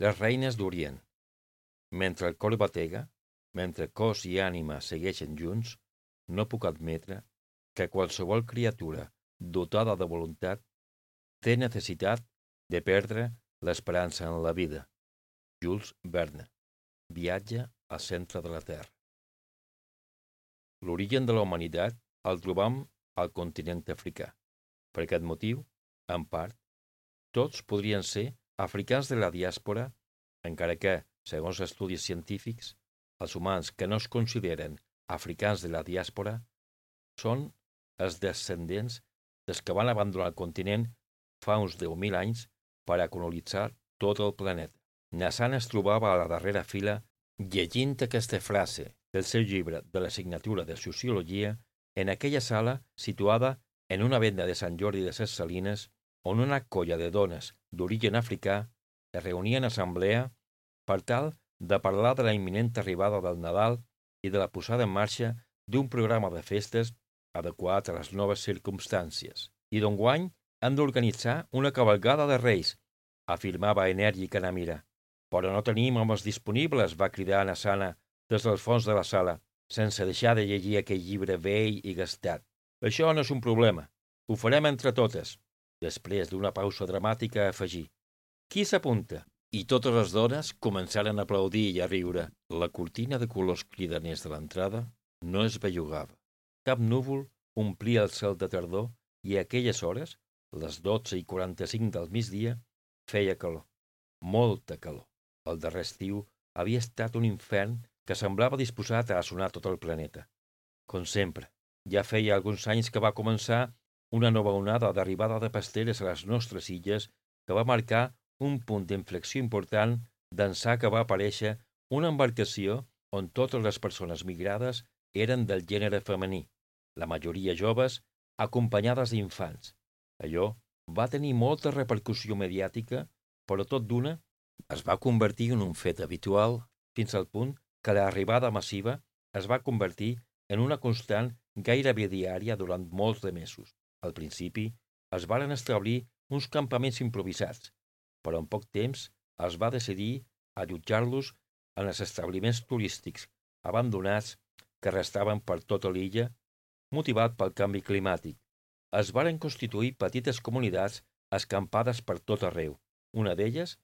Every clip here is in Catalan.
Les reines d'Orient. Mentre el cor batega, mentre cos i ànima segueixen junts, no puc admetre que qualsevol criatura dotada de voluntat té necessitat de perdre l'esperança en la vida. Jules Verne. Viatge al centre de la Terra. L'origen de la humanitat el trobam al continent africà. Per aquest motiu, en part, tots podrien ser africans de la diàspora, encara que, segons estudis científics, els humans que no es consideren africans de la diàspora són els descendents dels que van abandonar el continent fa uns 10.000 anys per a colonitzar tot el planeta. Nassan es trobava a la darrera fila llegint aquesta frase del seu llibre de la assignatura de Sociologia en aquella sala situada en una venda de Sant Jordi de Ses Salines on una colla de dones d'origen africà es reunien en assemblea per tal de parlar de la imminent arribada del Nadal i de la posada en marxa d'un programa de festes adequat a les noves circumstàncies. I d'enguany han d'organitzar una cavalcada de Reis, afirmava enèrgica Namira. Però no tenim homes disponibles, va cridar Nassana des del fons de la sala, sense deixar de llegir aquell llibre vell i gastat. Això no és un problema. Ho farem entre totes. Després d'una pausa dramàtica afegí. Qui s'apunta? I totes les dones començaren a aplaudir i a riure. La cortina de colors cridaners de l'entrada no es bellugava. Cap núvol omplia el cel de tardor i a aquelles hores, les 12:45 del migdia, feia calor. Molta calor. El darrer estiu havia estat un infern que semblava disposat a assonar tot el planeta. Com sempre, ja feia alguns anys que va començar una nova onada d'arribada de pasteres a les nostres illes que va marcar un punt d'inflexió important d'ençà que va aparèixer una embarcació on totes les persones migrades eren del gènere femení, la majoria joves, acompanyades d'infants. Allò va tenir molta repercussió mediàtica, però tot d'una es va convertir en un fet habitual fins al punt que l'arribada massiva es va convertir en una constant gairebé diària durant molts de mesos. Al principi es varen establir uns campaments improvisats, però en poc temps es va decidir allotjar-los en els establiments turístics abandonats que restaven per tota l'illa, motivat pel canvi climàtic. Es varen constituir petites comunitats escampades per tot arreu, una d'elles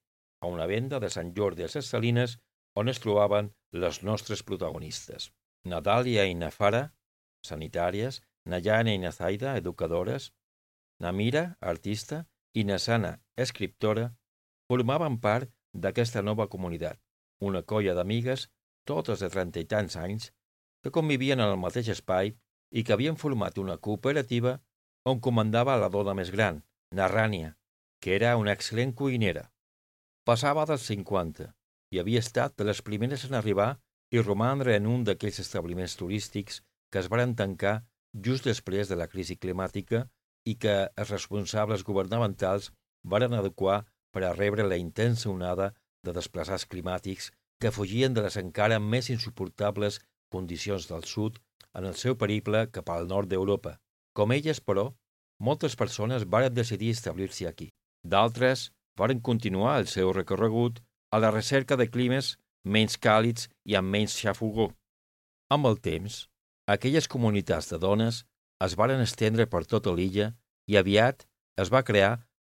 a una venda de Sant Jordi a Ses Salines on es trobaven les nostres protagonistes. Nadàlia i Nafara, sanitàries, Nayana i Nazaida, educadores, Namira, artista, i Nassana, escriptora, formaven part d'aquesta nova comunitat, una colla d'amigues, totes de 30 i tants anys, que convivien en el mateix espai i que havien format una cooperativa on comandava la dona més gran, Narrània, que era una excel·lent cuinera. Passava dels 50 i havia estat de les primeres en arribar i romandre en un d'aquells establiments turístics que es varen tancar just després de la crisi climàtica i que els responsables governamentals varen adequar per a rebre la intensa onada de desplaçats climàtics que fugien de les encara més insuportables condicions del sud en el seu periple cap al nord d'Europa. Com elles, però, moltes persones varen decidir establir-se aquí. D'altres varen continuar el seu recorregut a la recerca de climes menys càlids i amb menys xafogor. Amb el temps, aquelles comunitats de dones es varen estendre per tota l'illa i aviat es va crear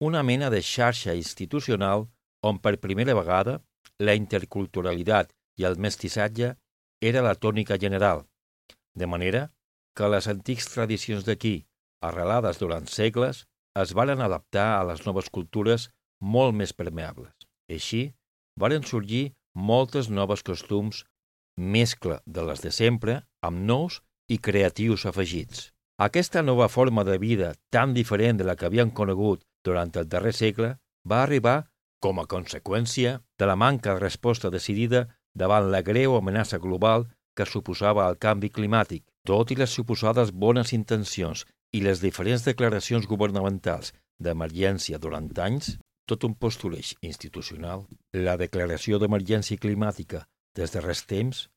una mena de xarxa institucional on per primera vegada la interculturalitat i el mestissatge era la tònica general, de manera que les antics tradicions d'aquí, arrelades durant segles, es varen adaptar a les noves cultures molt més permeables. Així, varen sorgir moltes noves costums, mescla de les de sempre, amb nous i creatius afegits. Aquesta nova forma de vida tan diferent de la que havien conegut durant el darrer segle va arribar com a conseqüència de la manca de resposta decidida davant la greu amenaça global que suposava el canvi climàtic. Tot i les suposades bones intencions i les diferents declaracions governamentals d'emergència durant anys, tot un postuleix institucional, la declaració d'emergència climàtica des de res temps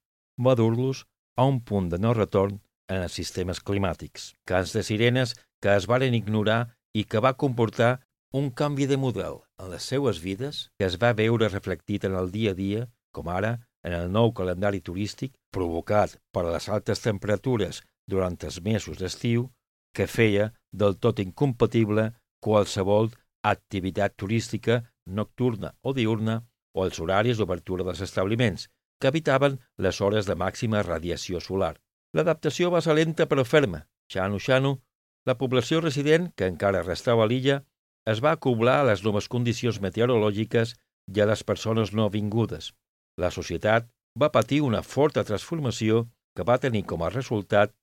va dur-los a un punt de no retorn en els sistemes climàtics. Cants de sirenes que es varen ignorar i que va comportar un canvi de model en les seues vides, que es va veure reflectit en el dia a dia, com ara en el nou calendari turístic, provocat per les altes temperatures durant els mesos d'estiu, que feia del tot incompatible qualsevol activitat turística nocturna o diurna o els horaris d'obertura dels establiments, que evitaven les hores de màxima radiació solar. L'adaptació va ser lenta però ferma. Xanu, la població resident, que encara restava a l'illa, es va acoblar a les noves condicions meteorològiques i a les persones no vingudes. La societat va patir una forta transformació que va tenir com a resultat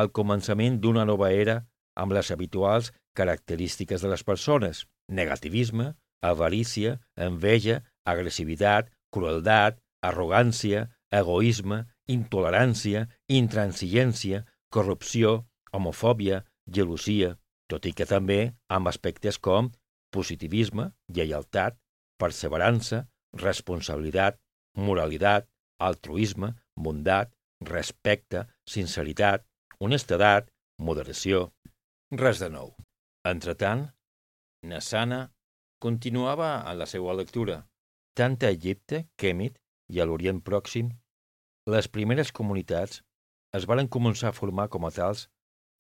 el començament d'una nova era amb les habituals característiques de les persones: negativisme, avarícia, enveja, agressivitat, crueldat, arrogància, egoisme, intolerància, intransigència, corrupció, homofòbia, gelosia, tot i que també amb aspectes com positivisme, lleialtat, perseverança, responsabilitat, moralitat, altruisme, bondat, respecte, sinceritat, honestedat, moderació. Res de nou. Entretant, Nassana continuava en la seva lectura. Tant a Egipte, Kemet i a l'Orient Pròxim, les primeres comunitats es varen començar a formar com a tals,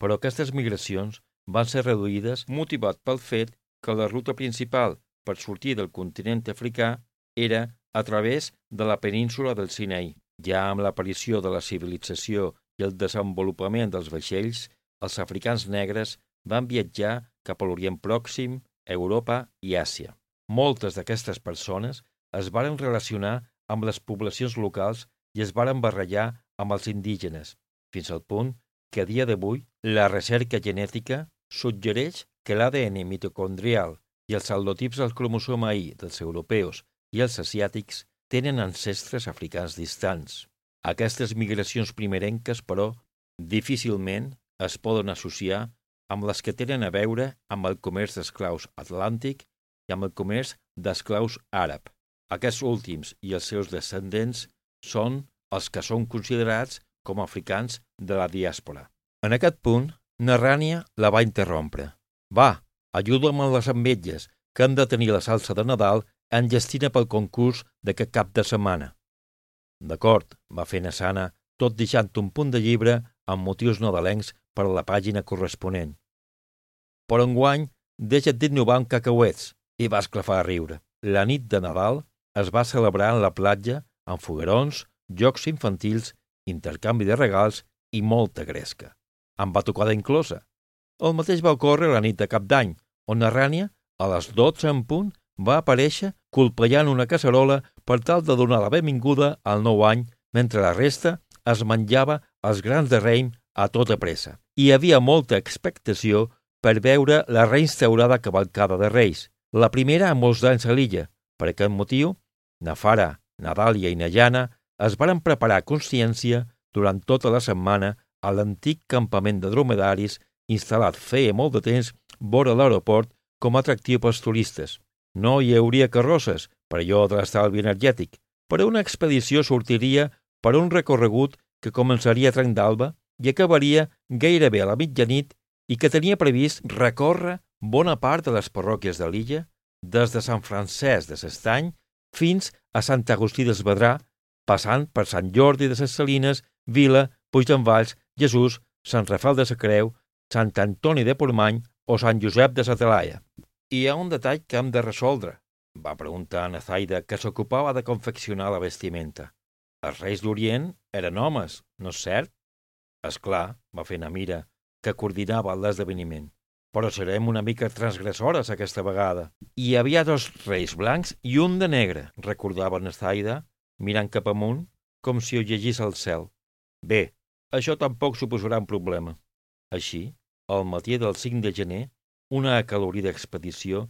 però aquestes migracions van ser reduïdes motivat pel fet que la ruta principal per sortir del continent africà era a través de la península del Sinaí. Ja amb l'aparició de la civilització i el desenvolupament dels vaixells, els africans negres van viatjar cap a l'Orient Pròxim, Europa i Àsia. Moltes d'aquestes persones es varen relacionar amb les poblacions locals i es varen barrejar amb els indígenes, fins al punt que a dia d'avui la recerca genètica suggereix que l'ADN mitocondrial i els haplotips del cromosoma Y dels europeus i els asiàtics tenen ancestres africans distants. Aquestes migracions primerenques, però, difícilment es poden associar amb les que tenen a veure amb el comerç d'esclaus atlàntic i amb el comerç d'esclaus àrab. Aquests últims i els seus descendents són els que són considerats com a africans de la diàspora. En aquest punt, Narrània la va interrompre. Va, ajuda'm amb les ametlles, que hem de tenir la salsa de Nadal enllestina pel concurs d'aquest cap de setmana. D'acord, va fer Nassana, tot deixant un punt de llibre amb motius nadalencs per a la pàgina corresponent. Però enguany, deixa't d'innovar amb cacauets, i va esclafar a riure. La nit de Nadal es va celebrar en la platja amb foguerons, jocs infantils, intercanvi de regals i molta gresca. Amb batucada inclosa. El mateix va ocórrer la nit de Cap d'Any, on Narrània, a les 12 en punt, va aparèixer colpejant una casserola per tal de donar la benvinguda al nou any, mentre la resta es menjava els grans de raïm a tota pressa. Hi havia molta expectació per veure la reinstaurada cavalcada de Reis, la primera en molts anys a l'illa. Per aquest motiu, Nafara, Nadàlia i Najana es varen preparar a consciència durant tota la setmana a l'antic campament de dromedaris instal·lat feia molt de temps vora l'aeroport com a atractiu pels turistes. No hi hauria carrosses, per allò de l'estalvi energètic, però una expedició sortiria per un recorregut que començaria a trenc d'alba i acabaria gairebé a la mitjanit i que tenia previst recórrer bona part de les parròquies de l'illa, des de Sant Francesc de s'Estany fins a Sant Agustí d'Esvedrà, passant per Sant Jordi de ses Salines, Vila, Puigdenvalls, Jesús, Sant Rafel de sa Creu, Sant Antoni de Portmany o Sant Josep de sa Talaia. Hi ha un detall que hem de resoldre, va preguntar a Nazaida, que s'ocupava de confeccionar la vestimenta. Els reis d'Orient eren homes, no és cert? Esclar, va fer Namira, que coordinava l'esdeveniment. Però serem una mica transgressores aquesta vegada. Hi havia 2 reis blancs i un de negre, recordava Nazaida, mirant cap amunt, com si ho llegís al cel. Bé, això tampoc suposarà un problema. Així, al matí del 5 de gener, una acolorida expedició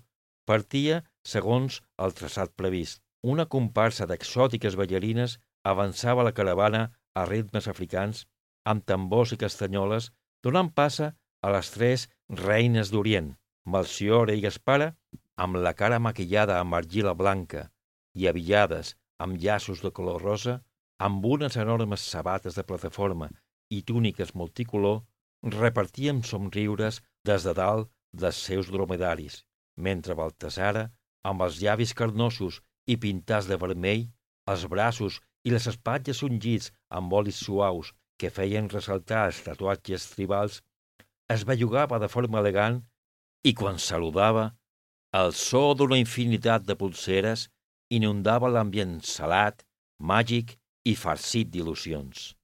partia segons el traçat previst. Una comparsa d'exòtiques ballarines avançava la caravana a ritmes africans amb tambors i castanyoles, donant passa a les 3 reines d'Orient, Melciora i Gaspara, amb la cara maquillada amb argila blanca i avillades amb llaços de color rosa, amb unes enormes sabates de plataforma i túniques multicolor, repartien somriures des de dalt dels seus dromedaris, mentre Baltasara, amb els llavis carnosos i pintats de vermell, els braços i les espatlles ungits amb olis suaus que feien ressaltar els tatuatges tribals, es bellugava de forma elegant i quan saludava, el so d'una infinitat de pulseres inundava l'ambient salat, màgic i farcit d'il·lusions.